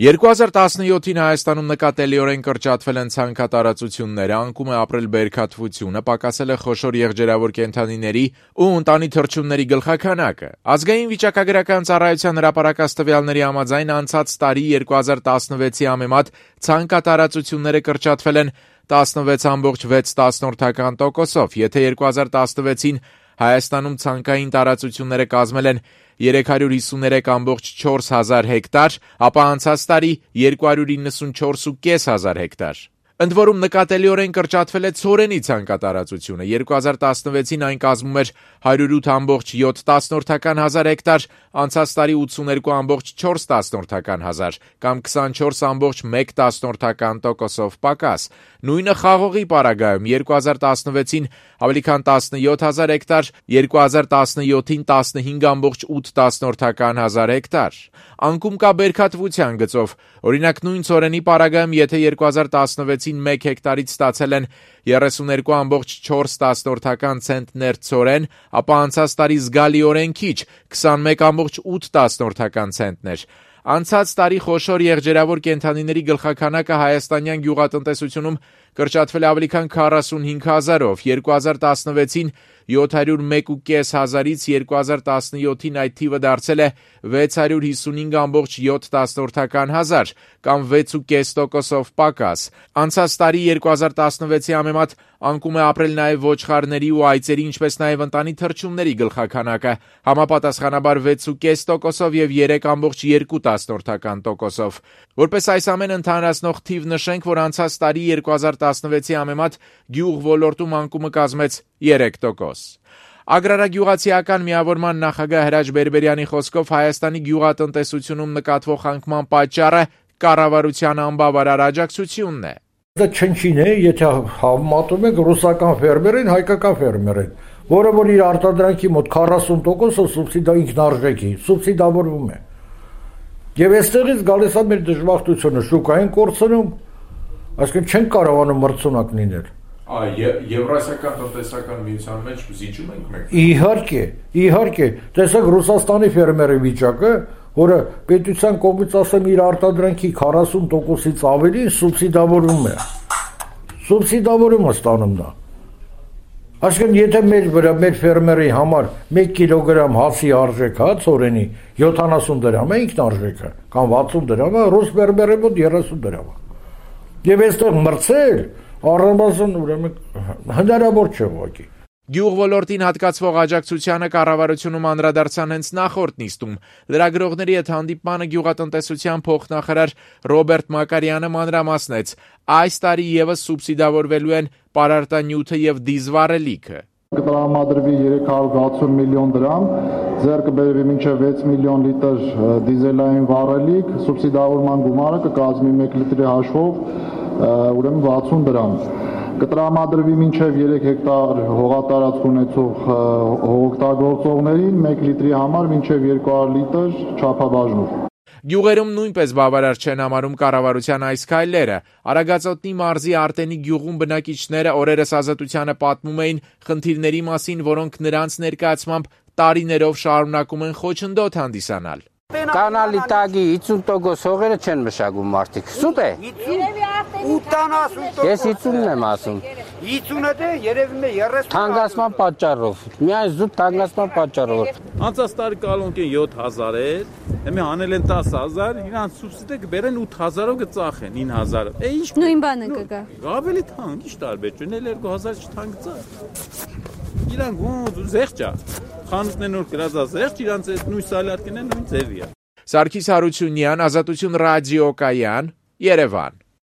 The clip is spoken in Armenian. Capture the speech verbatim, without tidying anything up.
երկու հազար տասնյոթին Հայաստանում նկատելիորեն կրճատվել են ցանքատարածությունները, անկում է ապրել բերքատվությունը, պակասել է խոշոր եղջերավոր կենդանիների ու ընտանի թռչունների գլխաքանակը։ Ազգային վիճակագրական ծառայության հրապարակած տվյալների համաձայն անցած տարի երկու հազար տասնվեցի համեմատ ցանքատարածությունները կրճատվել են տասնվեց ամբողջ վեց տոկոսով, եթե երկու հազար տասնվեցին Հայաստանում ցանկային տարածությունները կազմել են երեք հարյուր հիսուներեք ամբողջ չորս հազար հեկտար, ապա անցած տարի երկու հարյուր իննսունչորս հազար պինսյոն հեկտար։ Ընդ որում նկատելիորեն կրճատվել է ցորենի ցանկատարածությունը, երկու հազար տասնվեցին այն կազմում էր հարյուր ութ ամբողջ յոթ հազար հեկտար, անցած տարի ութսուներկու ամբողջ չորս հազար կամ քսանչորս ամբողջ մեկ տոկոսով պակաս։ Նույնը խաղողի պարագայում երկու հազար տասնվեցին ավելի քան տասնյոթ հազար հեկտար, երկու հազար տասնյոթին տասնհինգ ամբողջ ութ հազար հեկտար։ Անկում կա բերքատվության գծով, օրինակ նույն ցորենի պարագայում եթե երկու հազար տասնվեցին մեկ հեկտարից ստացել են երեսուներկու ամբողջ չորս ցենտներ ցորեն, ապա անցած տարի զգալիորեն քիչ քսանմեկ ամբողջ ութ ցենտներ։ Անցած տարի խոշոր եղջերավոր կենդանիների գլխաքանակը հայաստանյան գյուղատնտեսությունում կրճատվել ավելի քան քառասունհինգ հազարով, երկու հազար տասնվեցին յոթ հարյուր մեկ հազարից երկու հազար տասնյոթին այդ թիվը դարձել է վեց հարյուր հիսունհինգ ամբողջ յոթ հազար կամ վեց ու կես տոկոսով պակաս։ Անցած տարի երկու հազար տասնվեցի համեմատ անկում է ապրել նաև ոչխարների ու այծերի, ինչպես նաև ընտանի թռչունների գլխաքանակը, համապատասխանաբար վեց ու կես տոկոսով և երեք ամբողջ երկու տոկոսով։ Որպես այս ամենը ընդհանրացնող թիվ նշենք, որ անցած տարի երկու հազար տասնվեցի համեմատ գյուղ ոլորտում անկումը կազմեց երեք տոկոս։ Ագրարագյուղացիական միավորման նախագահ Հրաչ Բերբերյանի խոսքով Հայաստանի գյուղատնտեսությունում նկատվող անկման պատճառը կառավարության անբավարար աջակցությունն է։ Դա չնչին է, եթե համատում եք ռուսական ֆերմերին, հայկական ֆերմերին, որը որ իր արտադրանքի մոտ քառասուն տոկոսը սուբսիդա ինքնարժեքի, սուբսիդավորվում է։ Եվ այստեղից գալիս է մեր դժբախտությունը շուկային կորցնում, այսինքն չենք կարողանում մրցունակ լինել։ Եվրասիական տնտեսական միության մեջ զիջում ենք մենք։ Իհարկե, իհարկե, տեսեք Ռուսաստանի ֆերմերի վիճակը, որը պետության կողմից ասեմ իր արտադրանքի քառասուն տոկոսից ավելի սուբսիդավորվում է։ Սուբսիդավորում է ստանում նա։ Այսինքն եթե մեր վրա մեր ֆերմերի համար մեկ կիլոգրամ հացի արժեքը, ցորենի յոթանասուն դրամ է ինքնարժեքը, կամ վաթսուն դրամ է, ռուս ֆերմերի մոտ երեսուն դրամ է։ Եվ այստեղ մրցել առնվազն ուրեմն հնարավոր չէ ուղղակի։ Գյուղ ոլորտին հատկացվող աջակցությանը կառավարությունում անդրադարձան հենց նախորդ նիստում։ Լրագրողների հետ հանդիպմանը գյուղատնտեսության փոխնախարար Ռոբերտ Մակարյանը մանրամասնեց. այս տարի եւս սուբսիդավորվելու են պարարտանյութը եւ դիզվառելիքը։ Կտրամադրվի երեք հարյուր վաթսուն միլիոն դրամ, ձեռք բերվի մինչև վեց միլիոն լիտր դիզելային վառելիք, սուբսիդավորման գումարը կկազմի մեկ լիտրի հաշվով ուրեմն վաթսուն դրամ։ Կտրամադրվի մինչև երեք հեկտար հողատարածք ունեցող հողօգտագործողներին մեկ լիտրի համար մինչև երկու հարյուր լիտր չափաբաժնով։ Գյուղերում նույնպես բավարար չեն համարում կառավարության այս քայլերը։ Արագածոտնի մարզի Արտենի գյուղում բնակիչները օրերս Ազատությանը պատմում էին խնդիրների մասին, որոնք նրանց ներկայացմամբ տարիներով շարունակում են խոչընդոտ հանդիսանալ։ Կանալի տագի հիսուն տոկոս հողերը չեն մշակում մարդիկ։ Սուտ է։ ութանասուն տոկոս։ Ես հիսունն եմ ասում։ հիսունը դե երևում է երեսուն։ Թանկացման պատճառով։ Միայն զուտ թանկացման պատճառով։ Անցած տարի կալոնքին յոթ հազար էր, հիմա հանել են տասը հազար, իրանց սուբսիդը կբերեն ութ հազարով կծախեն ինը հազարը։ Է ինչ նույն բանը կգա։ Ավելի թանկ, ի՞նչ տարբերություն է, երկու հազար չթանկացա։ Իրանք ոնց զեղչ է։ Խանութներն որ գրած է զեղչ, իրանց այդ նույն սալարկին է նույն ձևի է։ Սարգիս Հարությունյան, Ազատություն ռադիոկայան, Երևան։